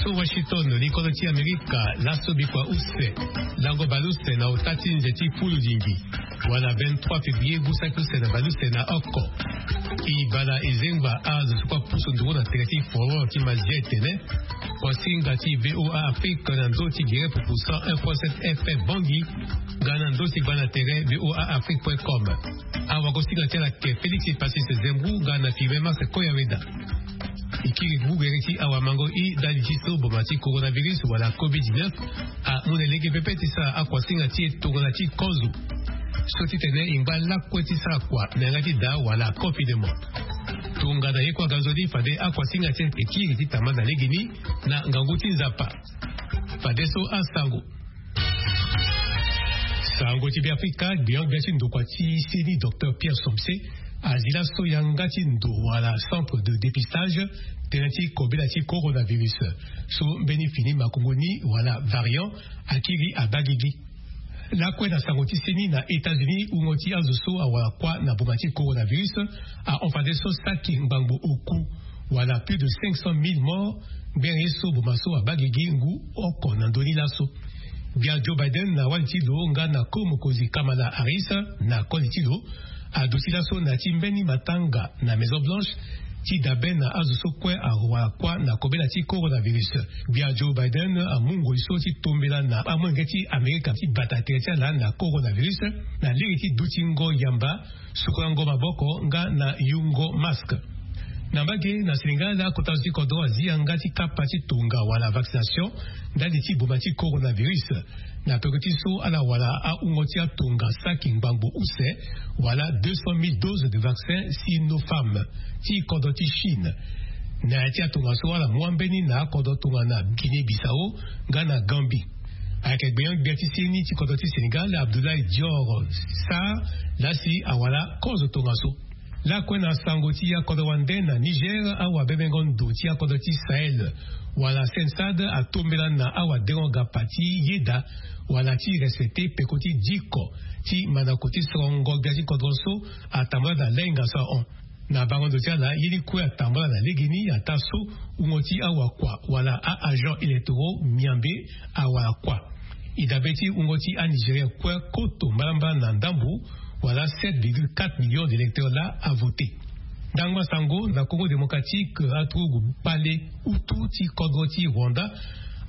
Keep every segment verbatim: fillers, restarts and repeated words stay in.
So Washington, likolo ti Amerika, laso bikua use, lango baleuse na ota ti nze ti fulu lingi, wala vingt-trois février, gusaki use na baleuse na oko. E bala e zengba azo so kue apusu nduru na tere ti foro ti Mazia e tene, kuasinga ti VOA Afrique na ndö ti gere pupu cent un point sept F M Bangui, nga na ndö ti gba na tere VOA Afrique point com. Awagosinga ti ala ke Félix Pacis Zembrou nga na Firmin Max Koyaweda. E kiri gugere ti awamango i ndali ti so boma ti coronavirus wala covid dix-neuf amu na lege pepe ti sara akuasinga ti e tongana ti kozo. So titene e ngba lakue ti sara kua na yanga ti daa wala confinement. Tongana ye kue aganzoni fade akuasinga ti e kiri ti tama na legeni na ngangu ti Nzapa. Fadeso asango. Sango ti Beafrika, gbion gbia ti ndokua ti seni, Docteur Pierre Somse, azi laso yanga ti ndo wala centre de dépistage tënë ti kobela ti coronavirus, so mbeni fini makongo ni wala variant akiri abaa gigi. Lakue na sango ti seni, na États-Unis, wungo ti azo so awara kuâ na boma ti coronavirus ahon fadeso saki ngbangbo oku, wala plus de cinq cent mille morts, ngbere ye so boma so abaa gigi ngu oko na ndö ni laso. Gbia Joe Biden na wali ti lo nga na ko mokonzi Kamala Harris na koli ti lo aduti laso na ya ti mbeni matanga na Maison Blanche ti dabe na azo so kue awara kuâ na kobela ti coronavirus. Gbia Joe Biden amu ngoi so ti tombela na amolenge ti Amerika ti bata tere ti ala na coronavirus na lege ti dutingo yamba, sukulango maboko nga na yungo masque. Na mbage, na Sénégal, akota zo ti kodro azi yanga ti kapa ti tonga wala vaccination ndali ti boma ti coronavirus. Na peko ti so ala wara ahungo ti atonga saki ngbangbo use wala deux cent mille doses de vaccin Sinopharm ti kodro ti Chine. Na ya ti atonga so ala mu ambeni na akodro tongana Guinée Bissau nga na Gambie. Ayeke gbenyo-gbia ti seni ti kodro ti Sénégal, Abdoulaye Dior Sarr, lasi awara kozo tongaso. Lakue na sango ti akodro wande, na Niger, awabebengo ndo ti akodro ti Sahel wala SENSAD atombela na awadengo gapa ti yeda wala ti respecte peko ti diko ti mandako ti sorongo gbia ti kodro so atambula na lainga so ahon. Na bango ndo ti ala, ye ni kue atambula na legeni ataa so wungo ti awakua wala a-agents électoraux miambe awara kuâ. E dabe ti wungo ti a-Nigérien kue koto mbalambala na ndambo, wala sept virgule quatre millions d'électeurs laa avote. Ndangba sango na Congo Démocratique, aturugu kpale utu ti kodro ti Rwanda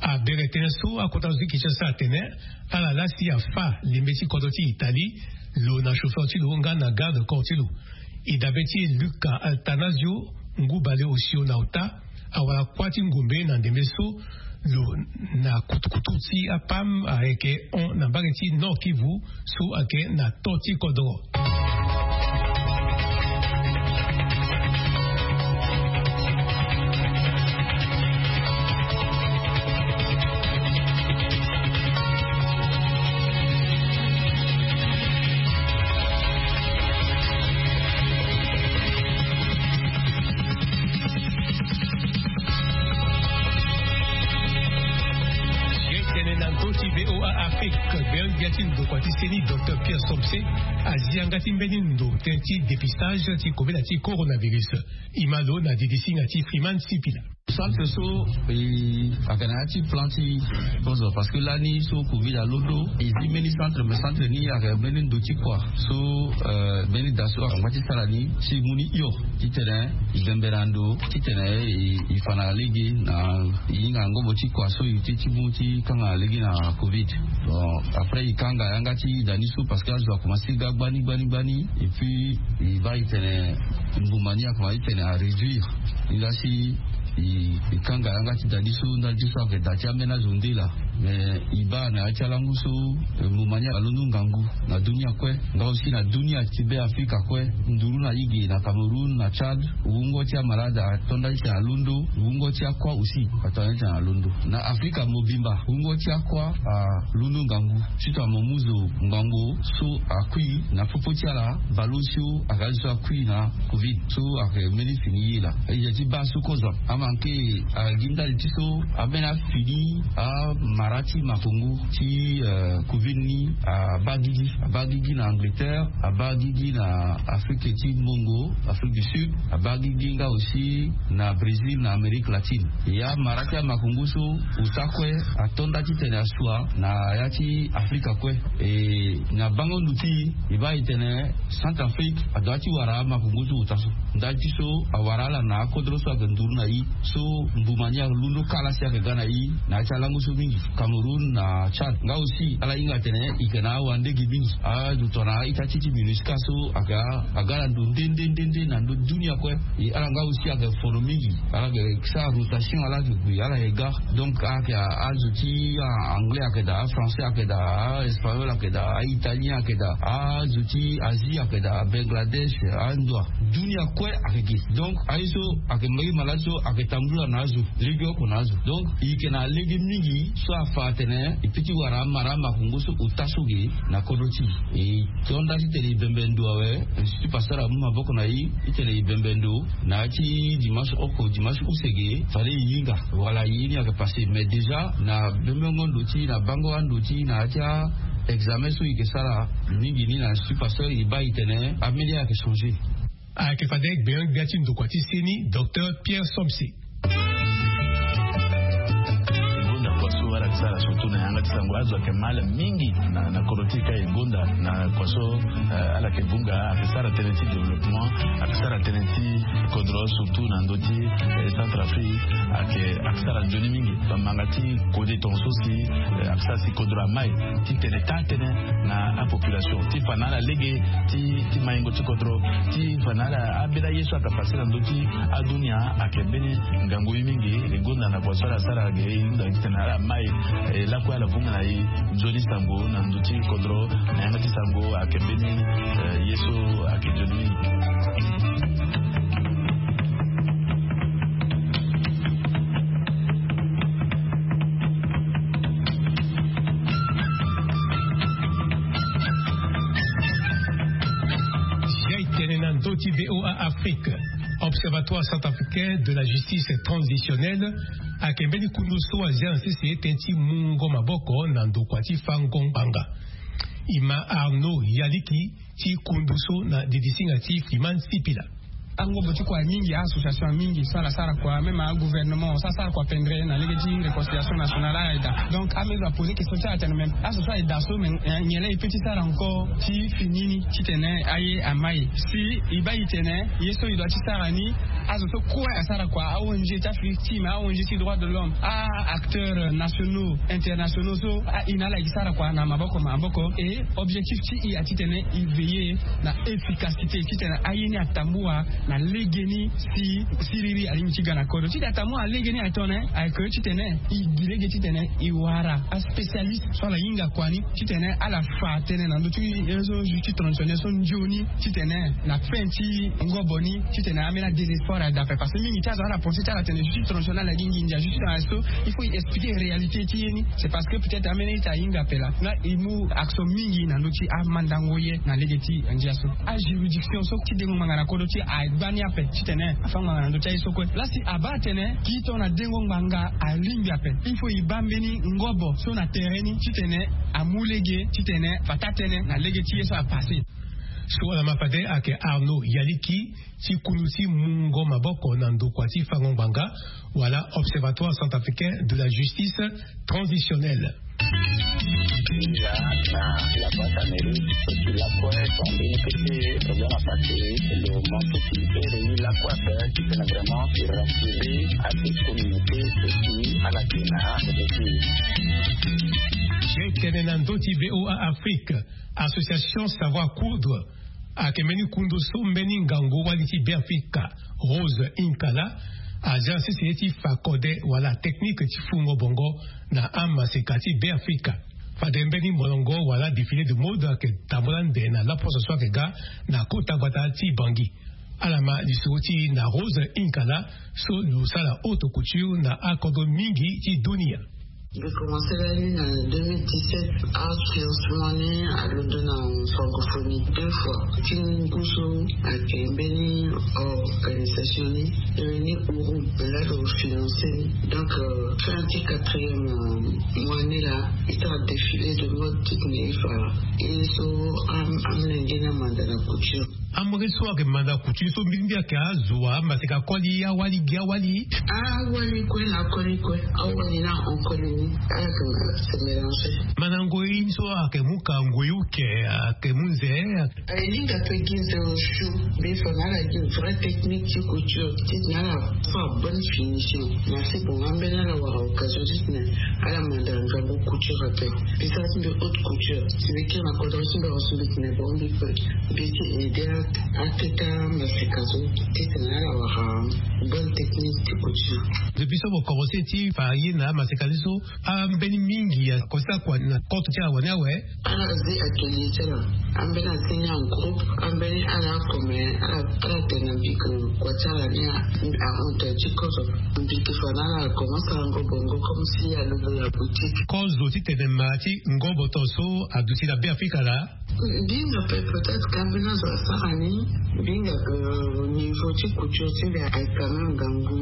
abere tënë so akota zo ti Kinshasa atene ala lasi afâ lembe ti kodro ti Italie, lo na chauffeur ti lo nga na garde corps ti lo. E dabe ti e Luca Attanasio, ngu baleosio na ota, awara kuâ ti ngombe na ndembe so lo na kutukutu ti apam ayeke hon na mbage ti Nord-Kivu so ayeke na to ti kodro. Ye tene na ndö ti VOA Afrique, gbeon-gbia ti ndokua ti seni, Docteur Pierre Somse, azi yanga ti mbeni ndo tënë ti dépistage ti kobela ti coronavirus. E ma lo na didisinga ti Freeman Sipila. Centre so, e, ayeke na ya ti plan ti kozo, parce que lani so covid alondo, e zi mbeni centre, mais centre ni ayeke mbeni ndo ti kua so, euh, mbeni da so angba ti sara ni si e mu ni hio titene e bembe na ndo titene e, e fa na lege na e hinga ngobo ti kua so e te ti mu ti kanga na lege na covid. Bon, après e kanga yanga ti da ni so parce que azo akomanse ga gbani gbani gbani, et puis e baa e tene mbuma ni akomanse tene aréduire. Ni laa si e, e kanga yanga ti da ni so ndali ti so ayeke da ti ambeni azo nde laa. Mais e baa na ya ti alangu so, eh, mbuma ni alondo ngangu na dunia kue, nga aussi na dunia ti Beafrika kue, nduru na e ge na Cameroun, na Tchad, wungo ti amalade ato ndali titene alondo, wungo ti akua aussi ato ndali titene alondo. Na Afrika mobimba, wungo ti akua alondo ngangu. Surtout amomuzo ngbangbo so akui na popo ti ala, baleosio aga azo so akui na covid so ayeke mbeni fini ye laa. E yeke ti baa so kozo amanke, agi ndali ti so ambeni afini, ama Ara ti makongo ti covid ni abaa gigi abaa gigi na angleterre, abaa gigi na afrike ti mbongo, afrike du sud, abaa gigi nga aussi na brésil na amérique latine. Ya mara ti amakongo so ota kue ato nda titene asua na ya ti afrika kue. E na bango ndo ti e baa e tene centrafrique adoit ti wara amakongo so ota so. Nda ti so awara ala na akodro so ayeke nduru na i so mbuma ni alondo kala si ayeke ga na i. Na ya ti alango so mingi cameroun na tchad nga aussi ala hinga atene i yeke na awandege mingi. Azo tongana a-ita ti ti minusca so aga aga na ndo nde nde nde nde na ndo dunia kue. E ala nga aussi ayeke fono mingi. Ala yeke sara rotation ala yeke gue ala yeke ga. Donc ayeke azo ti anglais ayeke daa, afrançais ayeke daa, aespagnol ayeke daa, aitalien ayeke daa, azo ti asie ayeke daa, bangladesh, andoa dunia kue ayeke ge. Donc aye so ayeke mbage malade so ayeke tambula na azo legeoko na azo. Donc e yeke na lege mingi so afa atene e pe ti wara amara amakongo so ota so ge na kodro ti e. E tonda titene e bembe ndo awe. Institut pasteur amu maboko na e titene e bembe ndo na ya ti dimanche oko dimanche use ge fade e hinga wala ye ni ayeke passe mais déjà na bembengo ndo ti na bango ando ti na ya ti a examen so e yeke sara mingi ni na institut pasteur e baa e tene ameni ayeke changer. Ayeke fade gbenyo-gbia ti ndokua ti seni docteur pierre somse. Gonda kua so ala yeke sara surtout na yanga ti sango azo ayeke mal mingi na kodro ti e ka e gonda na kua so ala yeke vunga ayeke sara tënë ti développement, ayeke sara tënë ti kodro surtout na ndö ti centrafrique. Ayeke ayeke sara nzoni mingi. Bamanga ti kode tonga so si ayeke sara si kodro amai ti tene taa tënë na apopulation ti fa na ala lege ti maingo ti kodro ti fa na ala ambeni aye so ayeke pase na ndö ti adunia. Ayeke mbeni ngangu ye mingi. E gonda na kua so ala sara ge e hunda titene ala mai lakue ala vunga na e nzoni sango na ndö ti kodro na yanga ti sango ayeke mbeni ye so ayeke nzoni mingi. Jai tene na ndö ti voa afrique. Observatoire centrafricain de la justice transitionnelle ayeke mbeni kundu so azia na sese tënë ti mungo maboko na ndokua ti fango ngbanga. E ma arnaud yaliki ti kundu so na didisinga ti fiman sipila. Angobo ti kua mingi association mingi so ala sara kua même agouvernement so asara kua pendre na lege ti réconciliation nationale ala eda. Donc amesure apose question ti ala tene même aso so ala eda so mais nyen laa e pe ti sara encore ti fini ni titene aye amai si e baa e tene ye so e doit ti sara ni. Azo so kue asara kua a-ong ti afrique ti me a-ong ti droit de l'homme, a-acteurs nationaux internationaux so aina ala yeke sara kua na maboko maboko. E objectif ti e atitene e veiller na efficacité titene aye ni atambua na legeni si siriri alingbi ti ga na kodro titene atambua na legeni atone ayeke titene e gi lege titene e wara aspécialiste so ala hinga kua ni titene ala fa tënë na ndö ti ye so justice traditionnelle so nzoni titene na fin ti ngobo ni titene ambeni adésespoir adape parce que mingi ti azo ala pense ti ala tene justice traditionnelle agi nginza justice na so il faut e expliquer réalité ti ye ni. C'est parce que peut-être ambeni ita ahinga ape laa nga e mu action mingi na ndö ti amandango ye na lege ti ndia so ajuridiction so ti dengo ngbanga na kodro ti agbani ape titene afa ngbanga na ndö ti aye so kue laa si abaa atene ki tongana dengo ngbanga alingbi ape il faut e baa mbeni ngobo so na tere ni titene amu lege titene fa taa tënë na lege ti ye so apasse. So ala ma fade ayeke arnaud yaliki ti kundu ti mungo maboko na ndokua ti fango ngbanga wala observatoire centrafricain de la justice transitionnelle. Déjà na la boîte à mairie et puis la quoi sont bénéficier problème à passer le monde qui est réuni la quoi faire qui fait vraiment rassurer à cette communauté et puis à la kena. J'ai tene na ndö ti voa afrique. Association savoir coudre ayeke mbeni kundu so mbeni ngangu wali ti beafrika rose inkala azia sese ye ti fa kode wala technique ti fungo bongo na amaseka ti beafrika. Fade mbeni molongo wala défilé de mode ayeke tambula nde na laposo so ayeke ga na kota gbata ti bangi. Ala ma lisoro ti na rose inkala so lo sara haute couture na akodro mingi ti dunia. Mbi commencé lani na deux mille dix-sept. Afinancement ni alondo na francophonie deux fois ti ngu so ayeke mbeni organisation ni. Réuni uru lalo financé ni. Donc fin ti quatrième mois ni laa, ita défilé de mode titene ifa. Ye so amolenge ni amanda na couture. Amolenge so ayeke manda couture so mbirimbiri ayeke azo wa amaseka koli awali gi awali. Awali kue na akoli kue. Awali na ankoli ni. Ala yeke mélangé. Mandango ye ni so ayeke mu ka ngoi uke ayeke mu nze. Aye linga pe gi nze osio. Mbi fa na ala gi vrai technique ti couture titene ala fa bonne finition. Merci bongo ambeni ala wara occasion titene ala manda ngangu couture ape. Mbi sara ti mbi haute couture si mbi kiri na kodro ti mbi awa so mbi tene bongo mbi pe mbi ti aidé ateta maseka so titene ala wara bonne technique ti couture. Depuis so bo commencé ti fa ye na amaseka ni so ambeni mingi akosala kua na compte ti ala wani awe. Ala zi atelier ti ala. Ambeni azi ni en groupe. Ambeni ala comme ala tene na mbi ke kua ti ala ni ahonte ti kozo. Mbi ke fa na ala commence ala ngo bongo comme si alondo na boutique. Kozo ti tene ma ti ngoboto so aduti na Beafrika laa. Mbi hinga pe peut-être ka mbeni azo asara ni. Mbi hinga ke niveau ti couture ti mbi aye quand même ngangu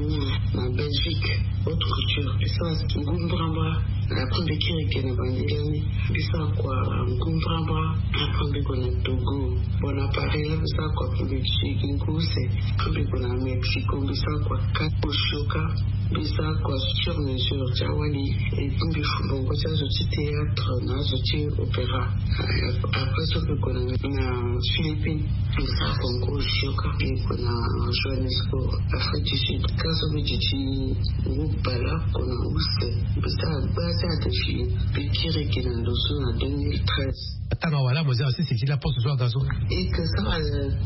na Belgique. Haute couture mbi sara ngu mbrambra. Après mbi kiri ge na bandeli ni. Mbi sara kua ngu mbrambra. Après mbi gue na Togo. Bon na Paris laa mbi sara kua après mbi gi ngu use. Après mbi gue na Mexico mbi sara kua kati osio kâ. Mbi sara kua sur mesure ti awali. Et puis mbi fu bongo ti azo ti théâtre na azo ti opéra. Après so mbi gue na Philippines. Mbi sara kua ngu osio kâ. Mbi gue na Johannesburg, Afrique du Sud. Kâ so mbi duti ngu bale oko na use. Mbi sara gba ti adéfilé. Mbi kiri ge na ndo so na deux mille treize. Atanga wala mo zia sisi ti laposte so aga so. E ke sara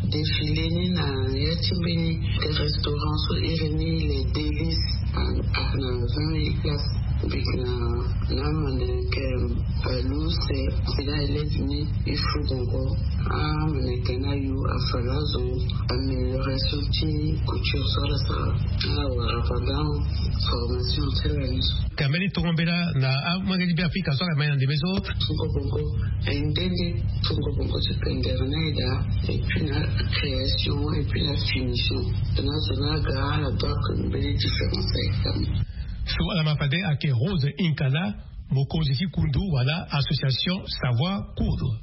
défilé ni na ya ti mbeni restaurant so iri ni Les Délices. Ayeke na vingt mille places. Mbi yeke na amanda ayeke luse. Mbi na élève ni e fu bongo. Amanda ayeke na ayo afa lazo. Amélioration ti couture so ala sara. Ala wara pendant formation ti ala ni so. Ka mbeni tongombela na amolenge ti Beafrika so ala mai na ndembe so. Tongo bongo aye nde nde. Tongo bongo ti pendere na eda. Et puis na création et puis na finition. Na zo na aga ala doit ke mbeni différence aye kama. So ala ma fade ayeke Rose Inkala, mokonzi ti kundu wala association Savoir Coudre.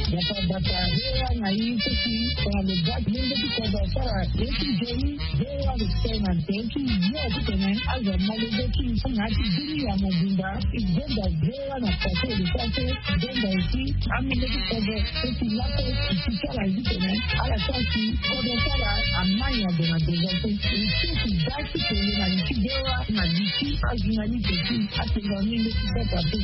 Bata bata, V O A na i seki, na le bak mende ti kodo sara ye ti joli. V O A respect na nte ti yo titene azo molenge ti na ti bini ya mobimba. I zonda V O A na pase le pase. Zonda esi amolenge ti kodo seki lape ti sara ye titene ala sara si kodo sara amai ado na devote. I seki da ti tene na li ti V O A na li ti ajournaliste ti atenga mende ti kota pe.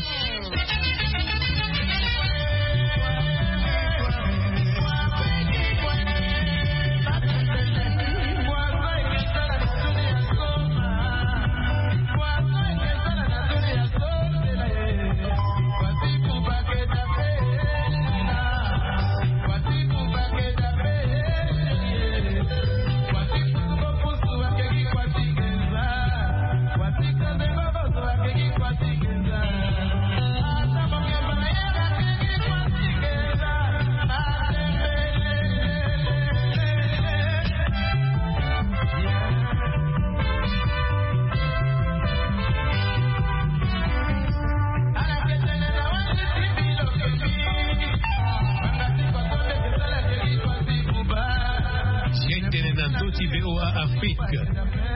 Ye tene na ndö ti V O A Afrique.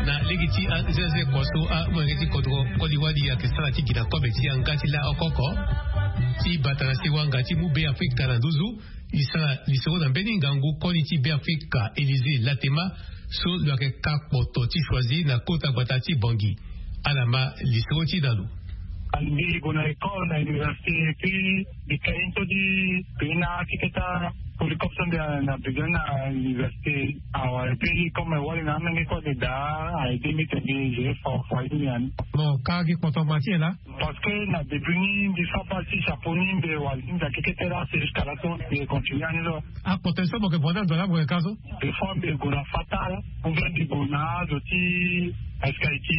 Na lege ti anzenze kua so amolenge ti kodro koli wali ayeke sara ti gi na kobe ti yanga ti laoko oko ti bata na sewanga ti mu Beafrika na nduzu. E sara lisoro na mbeni ngangu koli ti Beafrika Élysée Latema so lo yeke ka kpoto ti choisi na kota gbata ti Bangui. Ala ma lisoro ti na lo. Mbi gue na école na université, puis mbi kai so ti pena ti keta polycope so mbi na besoin na université. Awa, et puis comme wali na amenge kue ayeke daa, a aidé mbi tene mbi géré fort fort ti mbi ani. Bon, ka gi kpoto ma ti e laa. Parce que na début ni mbi fa pas ti chapeau ni mbi wali ti nzaki kete laa, c'est jusqu'à là so mbi continue ani so. Akpoto so mo yeke vo na ndo laa mo yeke ka so. Des fois mbi gue na fatal, ou bien mbi gue na azo ti escalier ti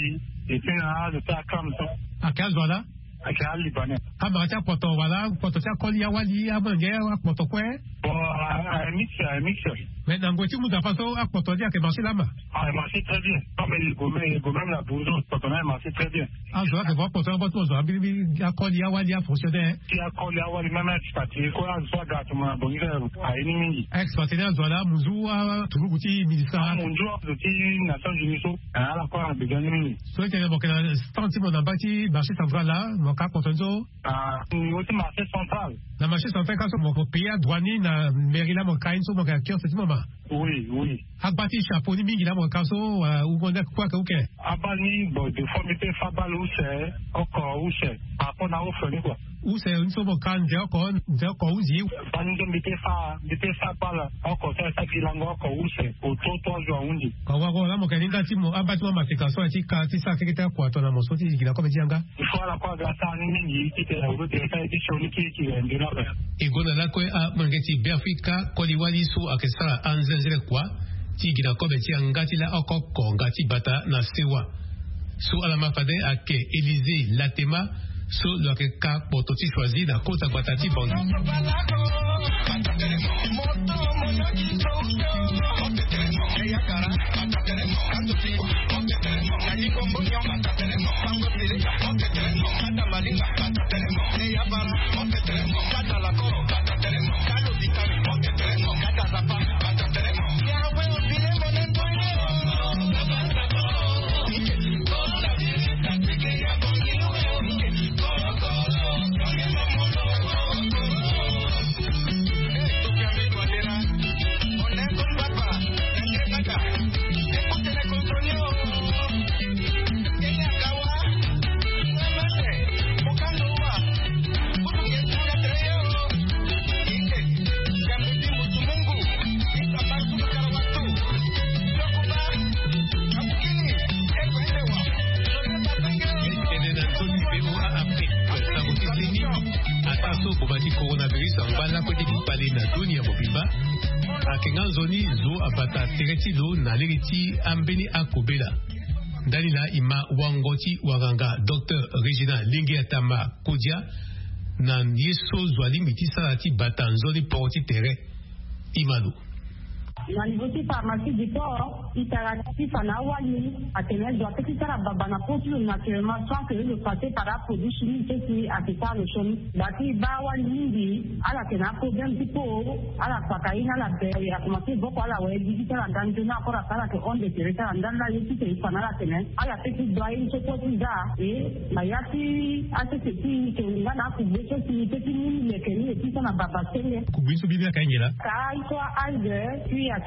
Epui na azo ti akam so. Ake azo ala. Ake alibanais. Amara ti akpoto wala akpoto ti akoli awali amolenge akpoto kue. Bon, a mix, a mix. Mais na ngoi ti muda paso akpoto ni ake marché lama. Ah, marché très bien. Comme il gomme il gomme la bourgeois kpoto na marché très bien. Azo ake vo akpoto na batu azo abiribi akoli awali afonctionnaire. Ti akoli awali même expatrié ko azo aga atuma na bongi aye ni mingi. Expatrié azo ala munzu aturuku ti ministre. Munzu azo ti nations unies so. Ala ko ala besoin ni mingi. So ete na mo ke na stand ti mo na mba ti marché central la mo ka kpoto ni so. Ah, niveau ti marché central. Na marché central ka so mo ko payer droit ni na mairie la mo ka ye ni so mo ke na kiosque ti mo ma. Oui, oui. Agba ti chapeau ni mingi la mo ka so wala ou mo nde kue ake uke. Abal ni bon de fois mbi pe fa abal use. Oko use. Par rapport na offre ni kua. Use ni so mo ka nze oko nze oko uzi. Bani nde mbi pe fa mbi pe fa abal. Oko so esa ti lango oko use oto to azo ahundi. Ka wako la mo ke ni nga ti mo amba ti mo maseka so aye ti ka ti sara keke ti akua tongana mo so ti gi na kobe ti yanga. Il faut ala kue aga sara ni mingi ti tene na uru tere sara ye ti sioni kiri kiri ande na ape. E gonda lakue amolenge ti beafrika koli wali so ayeke sara anzenzele kua ti gi na kobe ti yanga ti laoko oko nga ti bata na sewa. So ala ma fade ayeke Élysée Latema so lo yeke ka kpoto ti choisi na kota gbata ti Bangui. Tene na nzoni V O A Afrique, sango ti seni. Ata so boma ti coronavirus angba lakue ti kpale na dunia mobimba, ayeke nga nzoni zo abata tere ti lo na lege ti ambeni akobela. Ndani laa e ma wango ti wanganga Docteur Régina Lingi Atama Kodia na ye so zo alingbi ti sara ti bata nzoni poro ti tere. E ma lo. Na niveau ti pharmacie du port e tara ti fa na awali atene zo ape ti sara baba na po ti lo naturellement sans que lo passe par aproduit chimique so si ayeke sara lo sioni. Bati e baa awali mingi ala yeke na aproblème ti po. Ala kpaka ye ni ala bere akomanse voko ala wara ye gigi ti ala nga nzoni akora pe ala yeke honde tere ti ala ndani laa ye ti tene e fa na ala atene ala pe ti dua ye ni so kue ti za. E na ya ti asese ti e yeke nga na akugbe so si e pe ti mu ni leke ni e ti so na baba senge. Kugbe so mbi ni ayeke aye nyen laa? Ka ye so a-age puis ayeke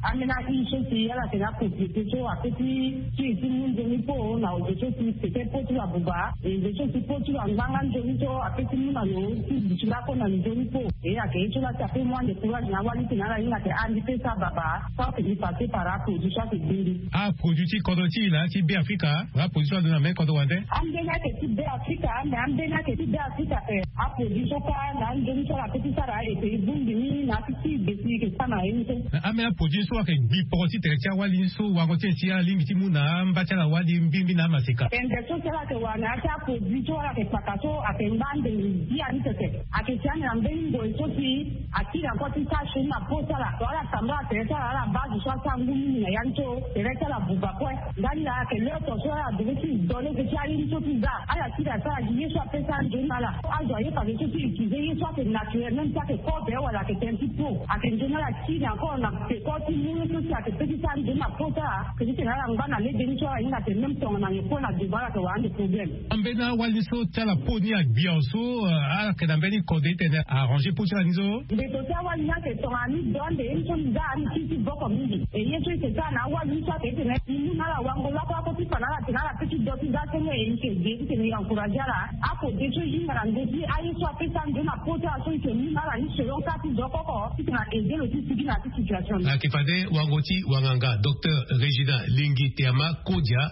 ambeni a-use so si ala yeke na apropriété so ape ti ti e ti mu nzoni po na ozo so si peut-être po ti lo abuba. E zo so si po ti lo angba nga nzoni so ape ti mu na lo ti duti lakue na nzoni po. E ayeke ye so laa si ape mu ande courage na awali ti tene ala hinga ayeke ah mbi pe sara baba. So ayeke mbi passe par aproduit so ayeke gbe mbi. Aproduit ti kodro ti e laa ti Beafrika. Aproduit so alondo na mbeni kodro wande. Ambeni ayeke ti Beafrika me ambeni ayeke ti Beafrika ape. Aproduit so kâ na anzoni so ala pe ti sara e pe e bongbi ni na ya ti ti gbe si e yeke sara na ye ni so. Na ambeni aproduit so ayeke gbi poro ti tere ti awali ni so wango ti e si ala lingbi ti mu na amba ti ala wali mbimbi na amaseka. Tende so si ala yeke wara na ya ti aproduit so ala yeke kpaka so ayeke ngba ande ngia ni tete. Ayeke si ande na mbeni ngoi so si akiri encore ti sara sioni na po ti ala so ala tambula tere ti ala ala baa zo so asara ngu mingi na ya ni so tere ti ala buba kue. Ndani laa ayeke leo to so ala devait ti do lege ti aye ni so ti za ala kiri asara gi ye so ape sara nzoni na ala. Azo aye fade so ti utiliser ye so ayeke naturel même so ayeke kobe wala ayeke tënë ti po ayeke nzoni ala kiri encore na peko ti mu ye so si ayeke pe ti sara nzoni na po ti ala. Ayeke ti tene ala ngba na lege ni so ala hinga atene même tongana nyen kue na devant ala yeke wara ande problème. Ambeni awali so ti ala po ni agbia so ala yeke na mbeni kode ti tene arranger po ti ala ni so. Mbeto ti awali ni ayeke tongana ni do ande ye ni so ni za ni kiri ti voko mingi. E ye so e yeke sara na awali ni so ayeke ti tene e mu na ala wango lakue lakue ti fa na ala atene ala pe ti do ti za senge e yeke ge ti tene e encourager ala. Akode so e hinga na ndö ti aye so ape sara nzoni na po ti ala so e yeke mu na ala ni selon ka ti zo oko oko ti tene a aider lo ti sigi na ya ti situation ni. Ayeke fade wango ti wanganga Docteur Régina Lingi Teama Kodia.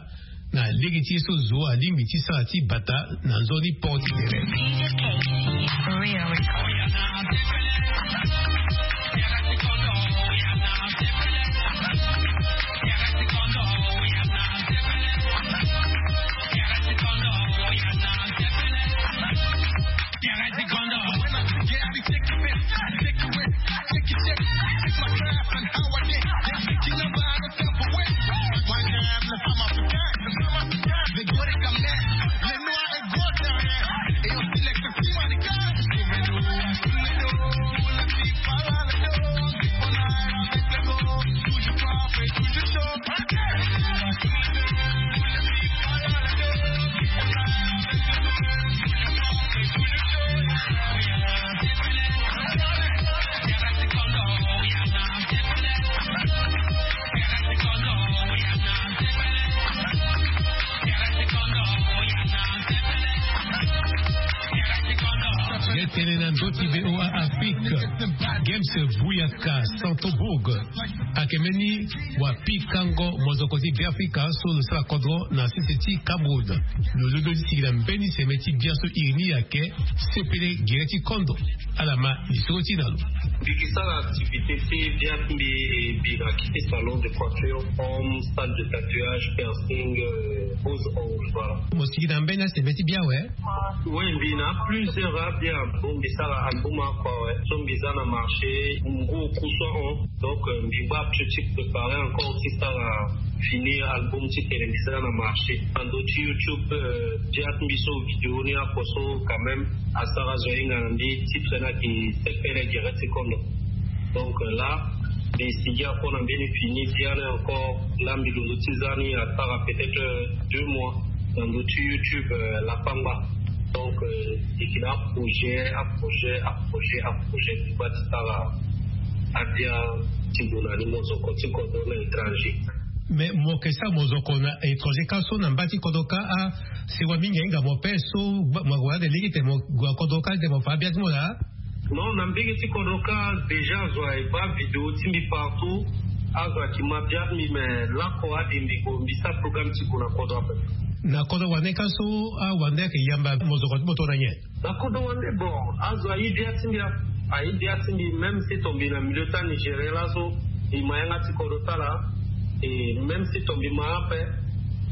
Na lege ti ye so zo alingbi ti sara ti bata na nzoni port ti tere. Buyaka Santobourg. Ayeke mbeni wapikango mozoko ti Beafrika so lo sara kodro na sese ti Cameroun. Lo londo ti sigi na mbeni seme ti bia so iri ni ayeke sepele gere ti kondo. Ala ma lisoro ti na lo. Mbi yeke sara activité ti bia ti mbi e bi na kete salon de coiffure, home, salle de tatouage, piercing, euh, pose ongle, voilà. Mo sigi na mbeni aseme ti bia awe? Oui, mbi na plusieurs abia. Bon, mbi sara album oko awe. So mbi za na marché, ngu oku so ahon. Donc, euh, mbi baa ti préparer encore ti sara fini album titene mbi za na marché. Na ndö ti YouTube, euh, bia ti mbi so vidéo ni oko so quand même asara zo ahinga na mbi, titre ni ayeke sepele gere ti kondo. Donc, euh, là, mbi sigi oko na mbeni fini bia ni encore. Là, mbi londo ti za ni asara peut-être, euh, deux mois na ndö ti YouTube, euh, Lapangba. Donc, euh, e yeke na aprojet, aprojet, aprojet, aprojet ti baa ti sara abia ti gue na ni mozoko ti kodro na étranger. Mais mo yeke sara mozoko na étranger kâ so na mba ti kodro kâ, ah, sewa mingi ahinga mo ape so mo gue ande lege tene mo gue na kodro kâ tene mo fa abia ti mo laa? Non, na mbege ti kodro kâ déjà azo aye baa vidéo ti mbi partout. Azo ayeke ma bia ti mbi, mais lako ade mbi gue, mbi sara programme ti gue na kodro ape. Na kodro wande kâ so, ah, wande ayeke yamba mozoko ti mo tongana nyen? Na kodro wande, bon, azo aye bia ti mbi, aye bia ti mbi, même si tongana mbi na milieu ti anigérien laso, mbi ma yanga ti kodro ti ala. Et même si tongana mbi ma ape,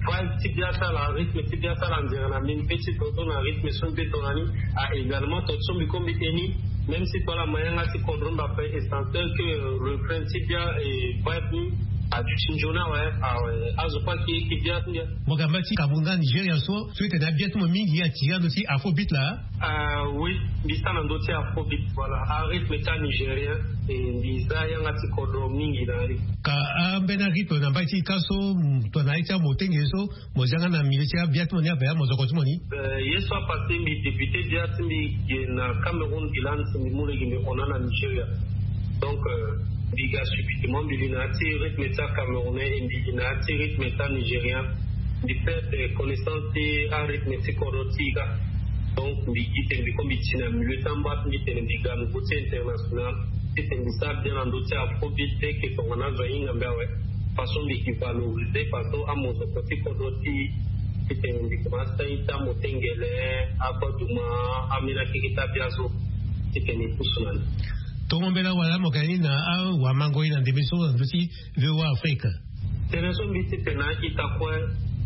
vibe ti bia ti ala, rythme ti bia ti ala anzere na mbi, mbi pe ti dodo na rythme so mbi pe tongana ni. Ah, également, tonga ti so mbi kue mbi te ni, même si kue ala ma yanga ti kodro mbi ape, essentiel que, euh, refrain ti bia et vibe ni aduti nzoni awe. Awe, azo kue ayeke bia ti mbi. Mo ga mba ti Cameroun nga Nigeria so, so e tene abia ti mo mingi atiri na ndö ti afrobeat laa? Ah oui, mbi sara na ndö ti afrobeat, voilà, arythme ti anigérien, e mbi za yanga ti kodro mingi na ya ni. Ka ambeni arythme na mbai ti e kâ so, mm, tongana aye ti amotenge so, mo za nga na milieu ti abia ti mo ni ape, amozoko ti mo ni? Euh, ye so apassé mbi débuté bia ti mbi ge na Cameroun, gi lani si mbi mu lege mbi hon na Nigeria. Donc, euh, mbi ga subitement mbi li na ya ti rythme ti acamerounais et mbi li na ya ti rythme ti anigérien. Mbi perdre connaissance ti arythme ti kodro ti e kâ. Donc mbi gi tene mbi kue mbi ti na milieu ti amba ti mbi tene mbi ga niveau ti international. Titene mbi sara bien na ndö ti afrobeat, te ke tongana azo ahinga mbi awe. Façon mbi ke valoriser façon amozoko ti kodro ti e. Titene mbi komanse ti aita motengele, agbaduma, ambeni akeke ti abia so. Titene e pusu na ni. Tongo mbela wala mo ga ni na awamango e na ndembe so na ndö ti V O A Afrique. Tënë so mbi titene na a-ita kue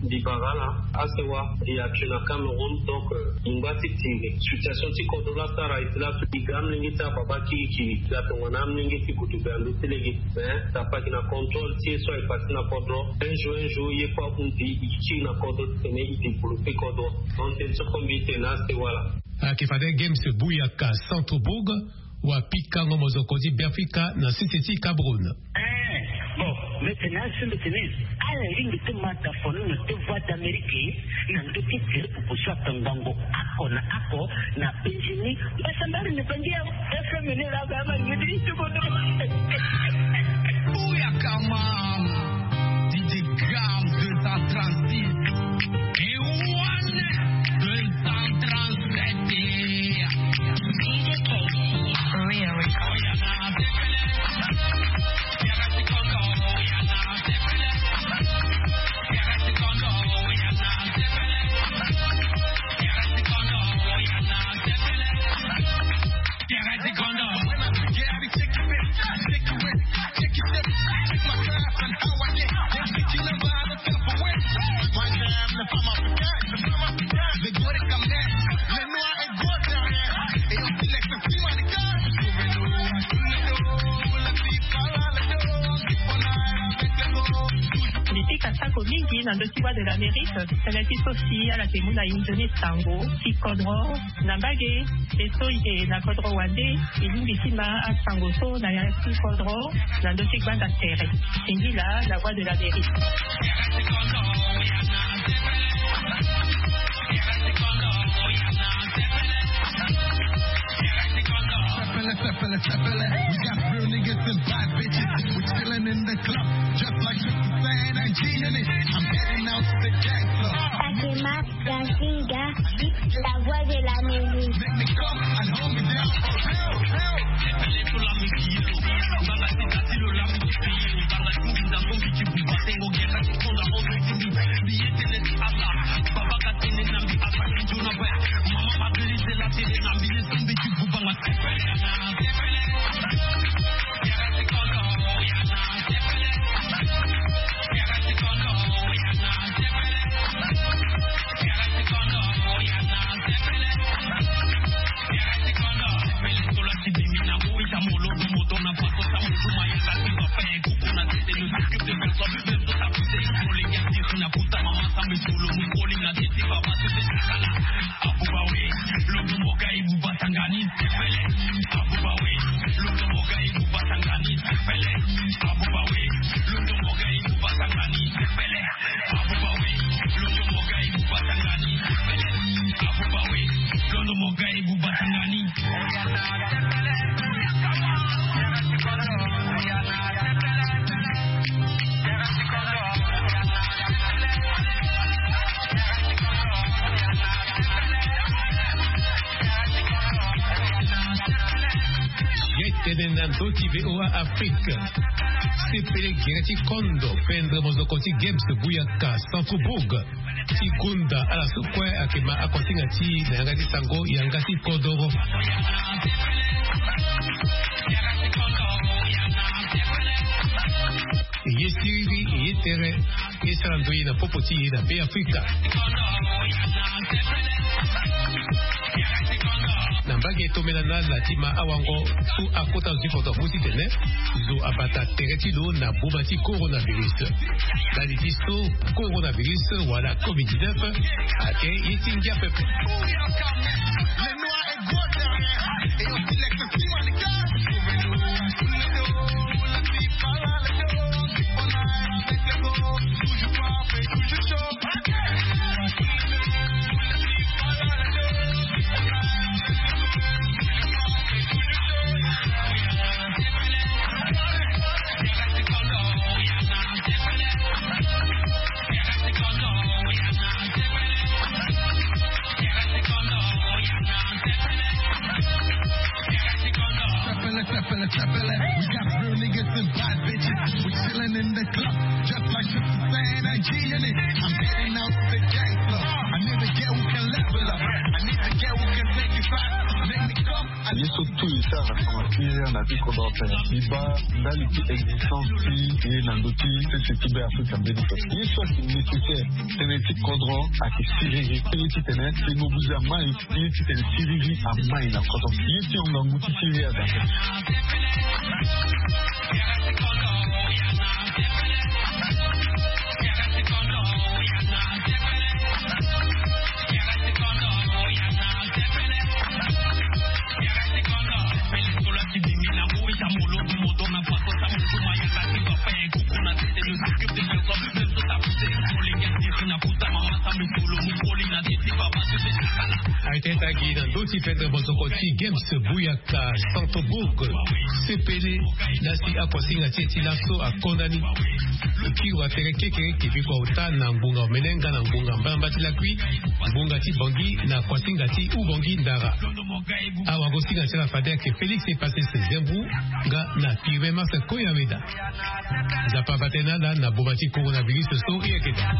mbi bara ala, asewa, mbi yeke na Cameroun, donc, euh, mbi ngba ti tene situation ti kodro laa asara e ti laso, mbi ga amolenge ti ababa kirikiri, mbi ga tongana amolenge ti gudu ga ndö ti lege. Mais ça pas na contrôle ti ye so aye passé na kodro. Un jour, un jour, ye kue ahunzi, e kiri na kodro titene e développer kodro. Donc tënë so kue mbi titene na asewa laa. Ayeke fade Games Buyaka Centrebourg, wapikango mozoko ti Beafrika na sese ti Cameroun. Eh, bon, mbi tene azo mbi tene, ala lingbi ti ma dafono na deux voix d'Amérique, na ndö ti tele pupu so akangbango oko na oko na penzi ni. Mbasambari ni bangi ya F M ni la ba ma ngidi ti kodo. Buyaka ma. D J Gram deux cent trente-six. Et one deux cent trente-sept. Oui, oui. Mbi pika sako mingi na ndö ti Voix de l'Amérique, tënë ti so si ala yeke mu na e nzoni sango ti kodro. Na mbage, e so e yeke na kodro wande, e lingbi ti ma asango so na ya ti kodro, na ndö ti gbanda tere. Singila, La Voix de l'Amérique. Sepele, sepele, sepele. We got real niggas and bad bitches. We chillin' in the club, just like fifty Cent. Fatima Gazinga, la voix de la mairie. Ye tene na ndö ti V O A Afrique. Sepele gere ti kondo pendre mozoko ti Games Buyaka Centrebourg ti kunda ala so kue ayeke ma akosinga ti e na yanga ti sango yanga ti kodoro. E ye siriri, e ye tere, e sara ndoye na popo ti e na Beafrika. Na mbage tomela na ala ti ma awango so akota zo ti kodoro amu titene zo abata tere ti lo na boma ti coronavirus. Ndali ti so coronavirus wala covid dix-neuf ayeke ye ti ngia pepe. Ye so tout e sara na tonga ti ria na ti kodro ape. Mbi baa ndali ti existence ti e na ndö ti sese ti Beafrika mbeni so. Ye so ayeke nécessaire tënë ti kodro ayeke siriri. Ye titene e mobilize amai. Ye titene siriri amai na kodro. Ye ti hon ngangu ti siriri aza. Ayeke tagi na ndö ti pendre mozoko ti Games Buyaka Centrebourg. Sepele na si akuasinga ti e ti laso akonda ni. Kiri wa tere kekereke biko auta na ngbonga omene nga na ngbonga mbalamba ti lakui, ngbonga ti Bangui na kuasinga ti Oubangui Ndara. Awagosinga ti ala fade ayeke Félix Epasese Zembou nga na Pirme Marcel Koyaweda. Nzapa abaa tënë na ala na boma ti coronavirus so e yeke daa.